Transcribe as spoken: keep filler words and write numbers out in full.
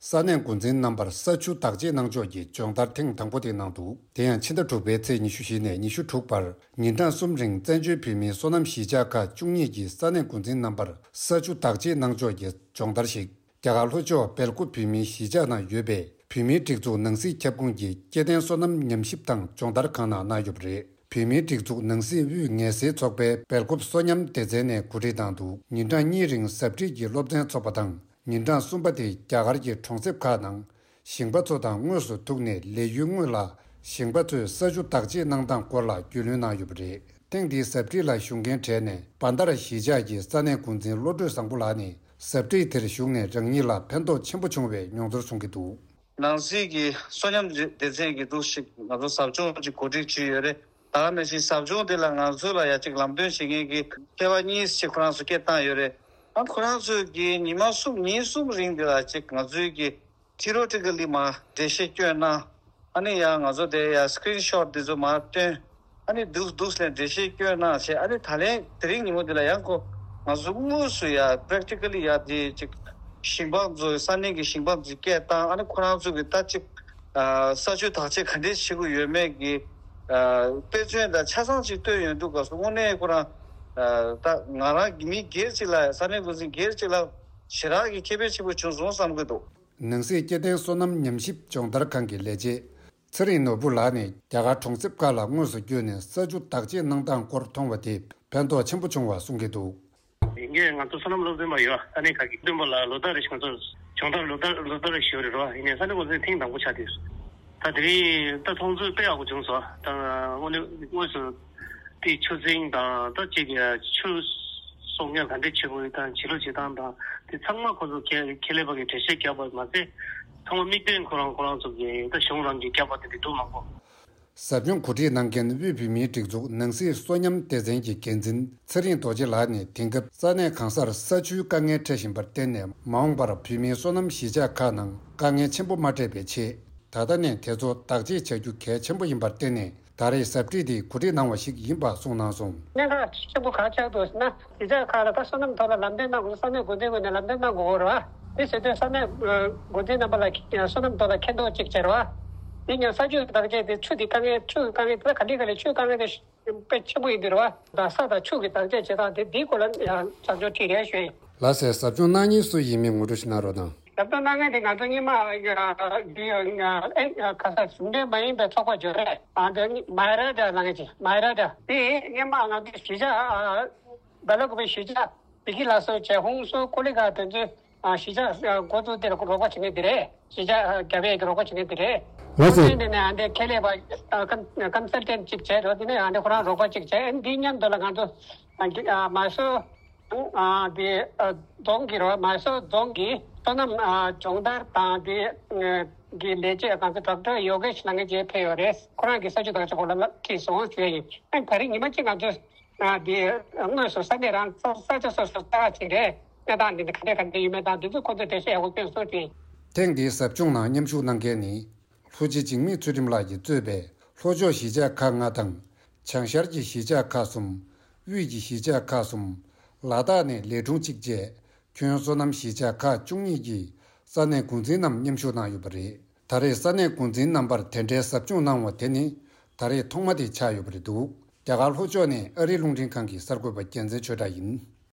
ས་གནས་འགོ་འཛིན་རྣམ་པར་ས་ཆུ་བདག་གཅེས་གནང་ཕྱོགས་ཀྱི་སྦྱོང་བརྡར་ཐེངས་དང་པོ་དེ་གནང་འདུག་དེ་ཡང་ཕྱི་ཟླ་དྲུག་པའི་ཚེས་ཉི་ཤུ་བཞི་ནས་ཉི་ཤུ་དྲུག་བར་ཉིན་གྲངས་གསུམ་རིང་བཙན་བྱོལ་བོད་མིའི་སོ་ནམ་གཞིས་ཆགས་ཁག་བཅུ་གཉིས་ཀྱི་ས་གནས་འགོ་འཛིན་རྣམ་པར་ས་ཆུ་བདག་གཅེས་གནང་ཕྱོགས་ཀྱི་སྦྱོང་བརྡར་ཞིག་རྒྱ་གར་ལྷོ་ཕྱོགས་སྦེལ་ཀོབ་བོད་མིའི་གཞིས་ཆགས་ནང་ཡོད་པའི་བོད་མིའི་སྒྲིག་འཛུགས་ནང་སྲིད་ཁྱབ་ཁོངས་ཀྱི་སྐྱེ་ལྡན་སོ་ནམ་ཉམས་ཞིབ་དང་སྦྱོང་བརྡར་ཁང་ནང་གནང་ཡོད་པ་རེད། བོད་མིའི་སྒྲིག་འཛུགས་ནང་སྲིད་དབུས་ངལ་སེལ་ཚོགས་པའི་སྦེལ་ཀོབ་སོ་ཉམས་སྡེ་ཚན་ནས་གོ་སྒྲིག་གནང་འདུག་ཉིན་གྲངས་གཉིས་རིང་ཟབ་ཁྲིད་ཀྱི་སློབ་ཚན་འཚོགས་པ་དང་། ཉིན་གྲངས་གསུམ་པ་དེ་རྒྱ་གར་གྱི་གྲོང་གསེབ་ཁག་ནང་ཞིང་པ་ཚོ་དང་དངོས་སུ་ཐུག་ནས་ལས་ཡུན་སྔོན་ལ་ཞིང་པ་ཚོས་ས་ཆུ་བདག་གཅེས་གནང་སྟངས་སྐོར་ལ་རྒྱུས་ལོན་གནང་ཡོད་པ་རེད། ཐེངས་འདིའི་ཟབ་ཁྲིད་ལ་ཞུགས་མཁན་གྲས་ནས་བན་དར་གཞིས་ཆགས་ཀྱི་ས་གནས་འགོ་འཛིན་བློ་གྲོས་བཟང་པོ་ལགས་ནས་ཟབ་ཁྲིད་དེར་ཞུགས་ནས་རང་ཉིད་ལ་ཕན་ཐོགས་ཆེན་པོ་བྱུང་བའི་མྱོང་ཚོར་གསུང་གི་འདུག་ནང་སྲིད་ཀྱི་སོ་ཉམས་སྡེ་ཚན་གྱི་འདུག་ཞིག་ང་ཚོ་ཟབ་སྦྱོང་ཅིག་གོ་སྒྲིག་བྱས་ཡོད་རེད། ད་ག་ནང་བཞིན་ཟབ་སྦྱོང་དེ་ལ་ང་ཚོ་ལ་ཡ་གཅིག་ལམ་སྟོན་བྱེད་མཁན་གྱི་མཁས་པ་གཉིས་ཤིག་ཁོ་རང་ཚོ་སྐད་བཏང་ཡོད་རེད། ཨ་ཁོ་རང་ཚོས་ཀྱི་ཉི་མ་གསུམ་ཉིན་གསུམ་རིང་དེ་ལ་གཅིག་ང་ཚོའི་གི་ཐི་རོ་ཊི་ཀ་ལི་མར་འགྲེལ་བཤད་སྐྱོན་གནང་། ཨ་ནི་ཡང་ང་ཚོ་དེ་ཡ་སི་ཀི་རིན་ཤོ་ཊི་དེ་ཚོ་མར་སྟོན། ཨ་ནི་འདུག་འདུག་ལས་འགྲེལ་བཤད་སྐྱོན་གནང་བྱས། ཨ་ནི་ད་ལན་དེ་རིང་ཉིན་མོ་དེ་ལ་ཡང་ཁོ་ང་ཚོ་དངོས་སུ་ཡ་པེ་རེག་ཊི་ཀ་ལི་ཡ་དེ་ཅིག་ཞིང་པ་ཚོ་ས་གནས་ཀྱི་ཞིང་པ་ཚོ་སྐད་བཏང་། ཨ་ནི་ཁོ་རང་ཚོ་གི་ད་ཅིག་ས་ཆུ་བདག་གཅེས་ག་འདྲས་བྱེད་དགོས་ཡོད་མེད་ཀྱི་དཔེ་མཚོན་དང་ཆ་ཚང་ཅིག་བཏོན་ཡོང་དུས་སྐབས་སུ་དངོས་གནས་ཁོ་རང་ད་ང་རང་གི་མི་སྒེར་ཅིག་ལ་ས་གནས་འགོ་འཛིན་སྒེར་ཅིག་ལ་ཞེ་དྲག་གི་ཁེ་ཕན་ཆེན་པོ་བྱུང་སོང་བསམ་གྱི་འདུག་ནང་སྲིད་སྐྱེ་ལྡན་སོ་ནམ་ཉམས་ཞིབ་སྦྱོང་བརྡར་ཁང་གི་ལས་བྱེད་ཚེ་རིང་ནོར་བུ་ལགས་ནས་རྒྱ་གར་གྲོང་གསེབ་ཁག་ལ་དངོས་སུ་བསྐྱོད་ནས་ས་ཆུ་བདག་གཅེས་གནང་སྟངས་སྐོར་མཐོང་བ་དེས་ཕན་ཐོགས་ཆེན་པོ་བྱུང་བ་གསུང་གི་འདུག་ཡིན་གྱི་ང་ཚོ་སོ་ནམ་སློབ་སྟོན་པ་ཡོད། ས་གནས་ཁག་གི་སྟོན་པ་ལ་ལོ་ལྟར་རེ་ཞིག་ང་ཚོ་སྦྱོང་བརྡར་ལོ་ལྟར་ལོ་ལྟར་རེ་ཞུ་རེད་རོ། ཡིན་ནའི་ས་གནས་འགོ་འཛིན་ཐེངས་དང་པོ་ཆགས་དུས། ད་དེ་རིང་ད་མཐོང་ཚོད་དཔེ་ཡག་པོ་བྱུང་སོང་། ད་དངོས་གནས་དངོས་སུ་དེ་ཆུ་རྫིང་དང་ད་ཅིག་ཆུ་གསོག་ཉར་ག་འདྲས་བྱེད་དགོས་དང་བྱེད་ལུགས་བྱེད་སྟངས་དང་དེ་ཚང་མ་ཁོ་ཚོ་ཁེ་ཁེ་ལས་པ་གི་འགྲེལ་བཤད་བརྒྱབ་པ་མ་ཟད་ཚང་མ་དམིགས་འབེན་ཁོ་རང་ཁོ་རང་ཚོ་གི་ད་གཞུང་རང་གིས་བརྒྱབ་པ་དེ་འདྲ་འདུག་མང་པོ། ཟབ་སྦྱོང་གོ་སྒྲིག་གནང་མཁན་དབུས་བོད་མིའི་སྒྲིག་འཛུགས་ནང་སྲིད་སོ་ཉམས་སྡེ་ཚན་གྱི་འགན་འཛིན་ཚེ་རིང་རྡོ་རྗེ་ལགས་ནས་དེང་སྐབས་ས་གནས་གང་སར་ས་ཆུའི་དཀའ་ངལ་འཕྲད་བཞིན་པར་བརྟེན་ནས་མ་འོངས་པར་བོད་མིའི་སོ་ནམ་གཞིས་ཆགས་ཁག་ནང་དཀའ་ངལ་ཆེན་པོ་མ་འཕྲད་པའི་ཆེད། ད་ལྟ་ནས་དེ་ཚོ་བདག་གཅེས་བྱ་རྒྱུ་གལ་ཆེན་པོ་ཡིན་པར་བརྟེན་ནས་ད་རེས་ཟབ་ཁྲིད་འདི་གོ་སྒྲིག་གནང་བ་ཞིག་ཡིན་པ་གསུངས་གནང་སོང་། གནད་འགག་ཆེན་པོ་གང་ཆགས་འདུག་ཟེར་ན། གཞིས་ཆགས་ཁག་ལ་ད་སོ་ནམ་ཐོག་ལ་ལམ་སྟོན་གནང་དགོས། ས་གནས་འགོ་འཛིན་ངོས་ནས་ལམ་སྟོན་གནང་དགོས་རེད་བ། དེ་བྱེད་དུས་ས་གནས་འགོ་འཛིན་རྣམ་པ་ལ་སོ་ནམ་ཐོག་ལ་མཁྱེན་རྟོགས་ཅིག་བྱེད་རེད་བ། དེ་ཡང་ས་ཆུ་བདག་གཅེས་དེ་ཆུ་དེ་དཀའ་ངལ་ཆུ་དཀའ་ངལ་དེ་ག་འདྲ་ག་ལེ་ཆུ་དཀའ་ངལ་དེ་དཔེ་ཆེན་པོ་ཡིན་འདུག་རེད་བ། ད་ས་དང་ཆུ་གི་བདག་གཅེས་བྱེད་སྟངས་དེ་དེའི་སྐོར་ལ་ཡང་བྱམས་སྐྱོང་ཁྲིད་རེ་ཞུ་ཡིན། ལགས་སེ། ཟབ་སྦྱོང་གནང་མཁན་སུ་ཡིན་མིན་ངོ་སྤྲོད་ཞིག་གནང་རོགས་གནང་། ཟབ་སྦྱོང་གནང་མཁན་དེ་ང་ཚོ་སྔོན་མ་ཨ་འདི་ཨ་ཨེ་ཁ་ས་གཞུང་འབྲེལ་མ་ཡིན་པའི་ཚོགས་པ་ཅིག་ཡོད་རེད། ཨ་འདི་མ་ཧེ་ར་ཏྲ་ལབ་མཁན་ཅིག་མ་ཧེ་ར་ཏྲ་དེ་སྔོན་མ་ང་ཚོའི་གཞིས་ཆགས་ཨ་སྦེ་ལ་ཀོ་པའི་གཞིས་ཆགས་བི་ཁི་ལ་སོགས་བྱས་ཧུང་སོ་ཀོ་ལི་གྷལ་དེ་ཚོའི་ཨ་གཞིས་ཆགས་ཨ་འགོ་བཙུགས་དེ་ལ་རོགས་པ་བྱེད་མཁན་དེ་རེད། གཞིས་ཆགས་ཨ་རྒྱ་བལ་གྱི་རོགས་པ་བྱེད་མཁན་དེ་རེད། ལགས་སོ། ཁོང་ཚོའི་ནས་ནས་ཨ་འདི་ཁེ་ལས་པ་ཨ་ཀམ་ཀམ་སལ་ཊན་ཅིག་བྱས་རོགས། དེ་ནས་ཨ་འདི་ཁོ་རང་རོགས་པ་ཅིག་བྱས། ཨ་འདི་མཉམ་དུ་ལ་ང་ཚོ་ཨ་གི་ཨ་མ་སོ་ཨ་དེ་ཨ་རྫོང་གི་རོ། མ་སོ་རྫོང་གི་སོ་ནམ་ཨ་སྦྱོང་བརྡར་དང་དེ་ཨ་གི་ལས་བྱེད་ང་ཚོ་ཌོག་ཊར་ཡོ་གེ་ཤི་ལབ་མཁན་ཅིག་ཕེབས་ཡོད་རེད། ཁོ་རང་གིས་ས་ཆུ་བདག་གཅེས་སྐོར་ལ་ཁྲིད་སོང་ཞུ་ཡ་ཡིན། ཨ་ད་རེས་ཉི་མ་གཅིག་ང་ཚོ་ཨ་དེ་དངོས་སུ་ས་གནས་རང་ས་ས་ཆ་སོ་སོ་ལྟ་ག་ཅིག་རེད། གནས་སྟངས་འདི་ནི་ག་འདྲ་ག་འདྲ་ཡོད་མེད་དང་དེ་ཚོ་ཁོ་ཚོས་འགྲེལ་བཤད་ཡག་པོ་སྐྱོན་སོང་ཞུ་ཡིན། ཐེངས་འདིའི་ཟབ་སྦྱོང་ནང་མཉམ་ཞུགས་གནང་མཁན་ནི། ལྷོ་སྤྱི་འཇིགས་མེད་ཚུལ་ཁྲིམས་ལགས་ཀྱིས་གཙོས་པའི་ལྷོ་ཕྱོགས་གཞིས་ཆགས་ཁག་ལྔ་དང་། བྱང་ཤར་གྱི་གཞིས་ཆགས་ཁག་གསུམ། དབུས་ཀྱི་གཞིས་ཆགས་ཁག་གསུམ། ལ་དྭགས་ནས་ལས་དྲུང་གཅིག་བཅས་ཁྱོན་སོ་ནམ་གཞིས་ཆགས་ཁག་བཅུ་གཉིས་ཀྱི་ས་གནས་འགོ་འཛིན་རྣམས་མཉམ་ཞུགས་གནང་ཡོད་པ་རེད། ད་རེས་ས་གནས་འགོ་འཛིན་རྣམ་པར་དེ་འདྲའི་ཟབ་སྦྱོང་གནང་བ་དེ་ནི་ད་རེས་ཐོག་མ་དེ་ཆགས་ཡོད་པ་རེད་འདུག་རྒྱ་གར་ལྷོ་ཕྱོགས་ནས་ཨ་རིའི་རླུང་འཕྲིན་ཁང་གི་གསར་འགོད་པ་རྒྱལ་མཚན་ཆོས་གྲགས་ཡིན།